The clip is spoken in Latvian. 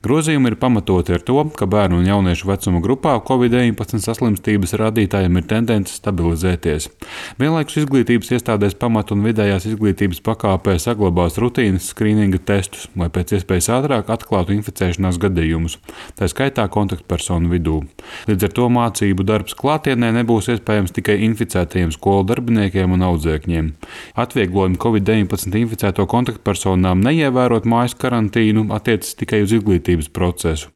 Grozījumi ir pamatoti ar to, ka bērnu un jauniešu vecuma grupā Covid-19 saslimstības rādītājiem ir tendence stabilizēties. Vienlaikus izglītības iestādēs pamat- un vidējās izglītības pakāpē saglabās rutīnas skrīninga testus, lai pēc iespējas ātrāk atklātu inficēšanās gadījumus, tā skaitā kontaktpersonu vidū. Līdz ar to mācību darbs klātienē nebūs iespējams tikai inficētajiem skolu darbiniekiem un audzēkņiem. Atvieglojumi Covid-19 inficēto kontaktpersonām neievērot mājas karantīnu attiecas tikai uz izglītības procesu.